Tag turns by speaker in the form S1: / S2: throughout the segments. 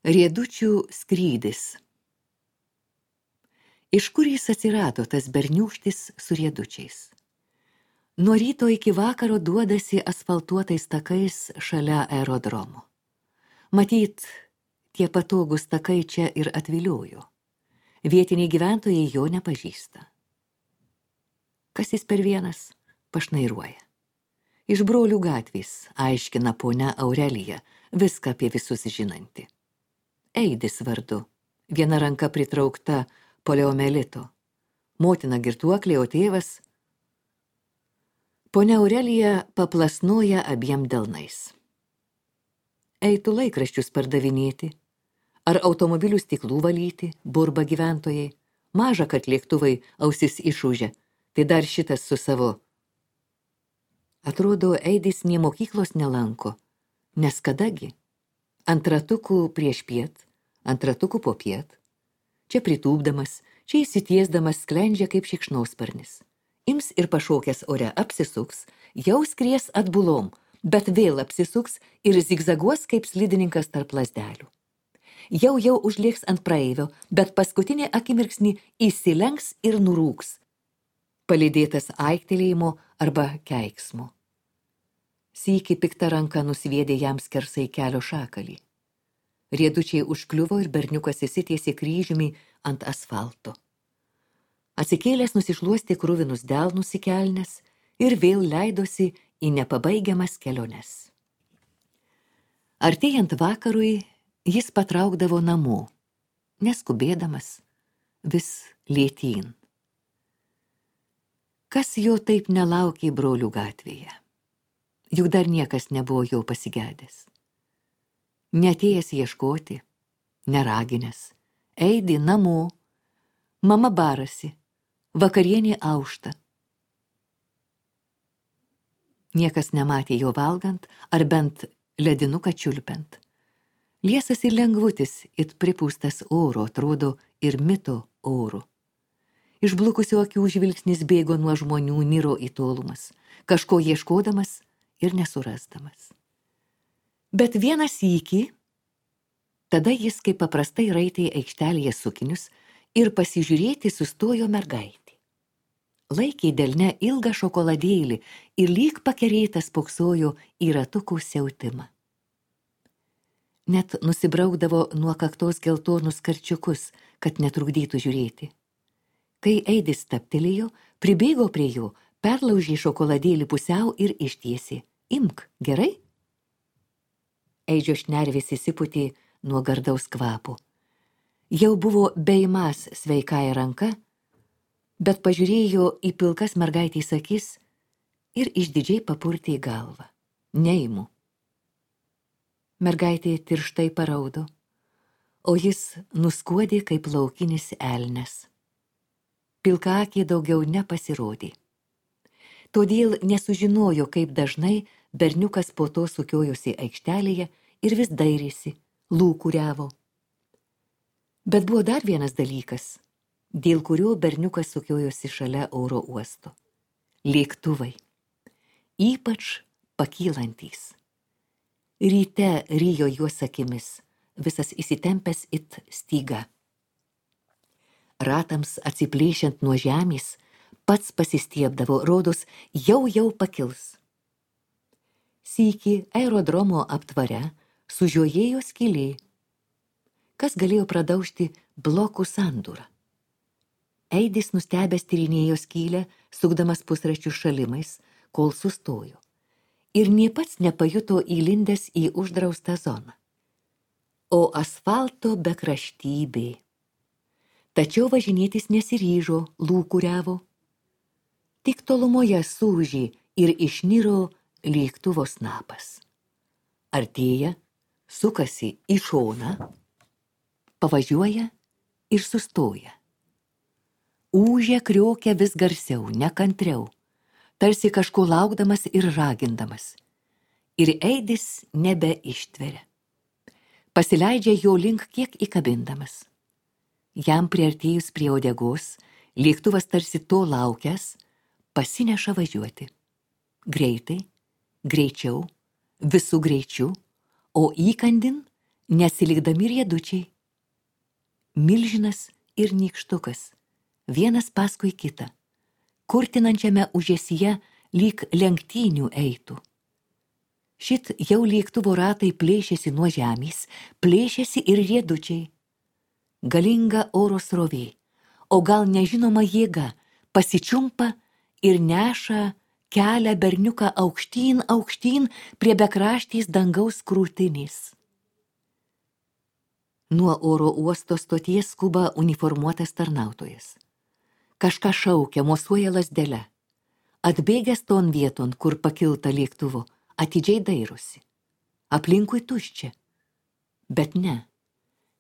S1: Riedučių skrydis. Iš kur jis atsirado, tas berniūkštis su riedučiais? Nuo ryto iki vakaro duodasi asfaltuotais takais šalia aerodromo. Matyt, tie patogūs takai čia ir atviliojo. Vietiniai gyventojai jo nepažįsta. Kas jis per vienas? Pašnairuoja. Iš Brolių gatvės, aiškina ponia Aurelija, viską apie visus žinanti. Eidis vardu, viena ranka pritraukta poliomelito. Motina girtuoklė, o tėvas. Ponia Aurelija paplasnoja abiem delnais. Eitų laikraščius pardavinėti, ar automobilių stiklų valyti, burba gyventojai. Maža, kad lėktuvai ausis išūžia, tai dar šitas su savo. Atrodo, Eidis nė mokyklos nelanko, nes kadagi? Ant ratukų prieš piet, ant ratukų po piet. Čia pritūpdamas, čia įsitiesdamas sklendžia kaip šikšnosparnis. Ims ir pašokęs ore apsisuks, jau skries atbulom, bet vėl apsisuks ir zigzaguos kaip slidininkas tarp lazdelių. Jau užlėks ant praeivio, bet paskutinė akimirksnį įsilenks ir nurūks, palydėtas aiktelėjimo arba keiksmo. Sykį pikta ranka nusviedė jam skersai kelio šakalį. Riedučiai užkliuvo ir berniukas įsitiesė kryžiumi ant asfalto. Atsikėlęs nusišluostė kruvinus delnus į kelnes ir vėl leidosi į nepabaigiamas keliones. Artėjant vakarui, jis patraukdavo namo, neskubėdamas, vis lėtyn. Kas jo taip nelaukė Brolių gatvėje? Juk dar niekas nebuvo jo pasigedęs. Neatėjęs ieškoti, neraginęs, eidi namo, mama barasi, vakarienė aušta. Niekas nematė jo valgant, ar bent ledinuką čiulpiant. Liesas ir lengvutis, it pripūstas oro, atrodo ir mito oro. Išblukusio akių žvilgsnis bėgo nuo žmonių, niro į tolumas, kažko ieškodamas ir nesurasdamas. Bet vieną sykį, tada jis kaip paprastai raitė aikštelėje sukinius ir pasižiūrėti sustojo mergaitė. Laikė delne ilgą šokoladėlį ir lyg pakerėtas spoksojo į ratukų siautimą. Net nusibraukdavo nuo kaktos geltonus karčiukus, kad netrukdytų žiūrėti. Kai Eidis stabtelėjo, pribėgo prie jo, perlaužė šokoladėlį pusiau ir ištiesė. Imk, gerai? Eidžio šnervės įsipūtė nuo gardaus kvapo. Jau buvo beimąs sveikąja ranka, bet pažiūrėjo į pilkas mergaitės akis ir išdidžiai papurtė galvą. Neimu. Mergaitė tirštai paraudo, o jis nuskuodė kaip laukinis elnias. Pilkaakė daugiau nepasirodė. Todėl nesužinojo, kaip dažnai berniukas po to sukiojosi aikštelėje ir vis dairėsi, lūkuriavo. Bet buvo dar vienas dalykas, dėl kurio berniukas sukiojosi šalia oro uosto. Lėktuvai. Ypač pakylantys. Ryte rijo juos akimis, visas įsitempęs it styga. Ratams atsiplėšiant nuo žemės, pats pasistiebdavo, rodos, jau pakils. Sykį aerodromo aptvare sužiojėjo skylė. Kas galėjo pradaužti blokų sandūrą? Eidis nustebęs tyrinėjo skylę, sukdamas pusraščių šalimais, kol sustojo. Ir nė pats nepajuto įlindęs į uždraustą zoną. O asfalto bekraštybė. Tačiau važinėtis nesiryžo, lūkuriavo. Tik tolumoje sūžė ir išniro lėktuvo snapas. Artėja, sukasi į šoną, pavažiuoja ir sustoja. Ūžia, kriokia vis garsiau, nekantriau, tarsi kažko laukdamas ir ragindamas. Ir Eidis nebeištveria. Pasileidžia jo link kiek įkabindamas. Jam priartėjus prie uodegos, lėktuvas tarsi to laukęs, pasineša važiuoti. Greitai, greičiau, visų greičiu, o įkandin Nesilikdami riedučiai. Milžinas ir nykštukas, vienas paskui kitą, kurtinančiame užesyje lyg lenktynių eitų. Šit jau lėktuvo ratai plėšėsi nuo žemės, plėšėsi ir riedučiai. Galinga oro srovė, o gal nežinoma jėga, pasičiumpa ir neša kelią berniuką aukštyn, aukštyn prie bekraštės dangaus krūtinės. Nuo oro uosto stoties skuba uniformuotas tarnautojas. Kažką šaukia, mosuoja lazdele. Atbėgęs ton vieton, kur pakilta lėktuvo, atidžiai dairosi. Aplinkui tuščia. Bet ne.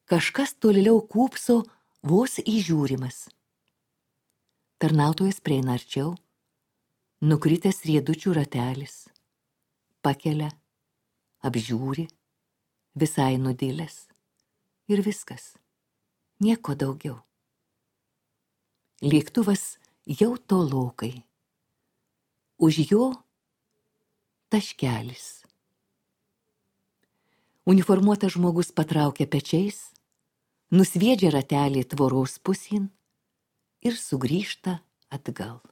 S1: Kažkas tolėliau kūpso vos įžiūrimas. Tarnautojas prieina arčiau. Nukritęs riedučių ratelis. Pakelia. Apžiūri. Visai nudilęs. Ir viskas. Nieko daugiau. Lėktuvas jau tolokai. Už jo taškelis. Uniformuotas žmogus patraukia pečiais, nusviedžia ratelį tvoros pusėn ir sugrįžta atgal.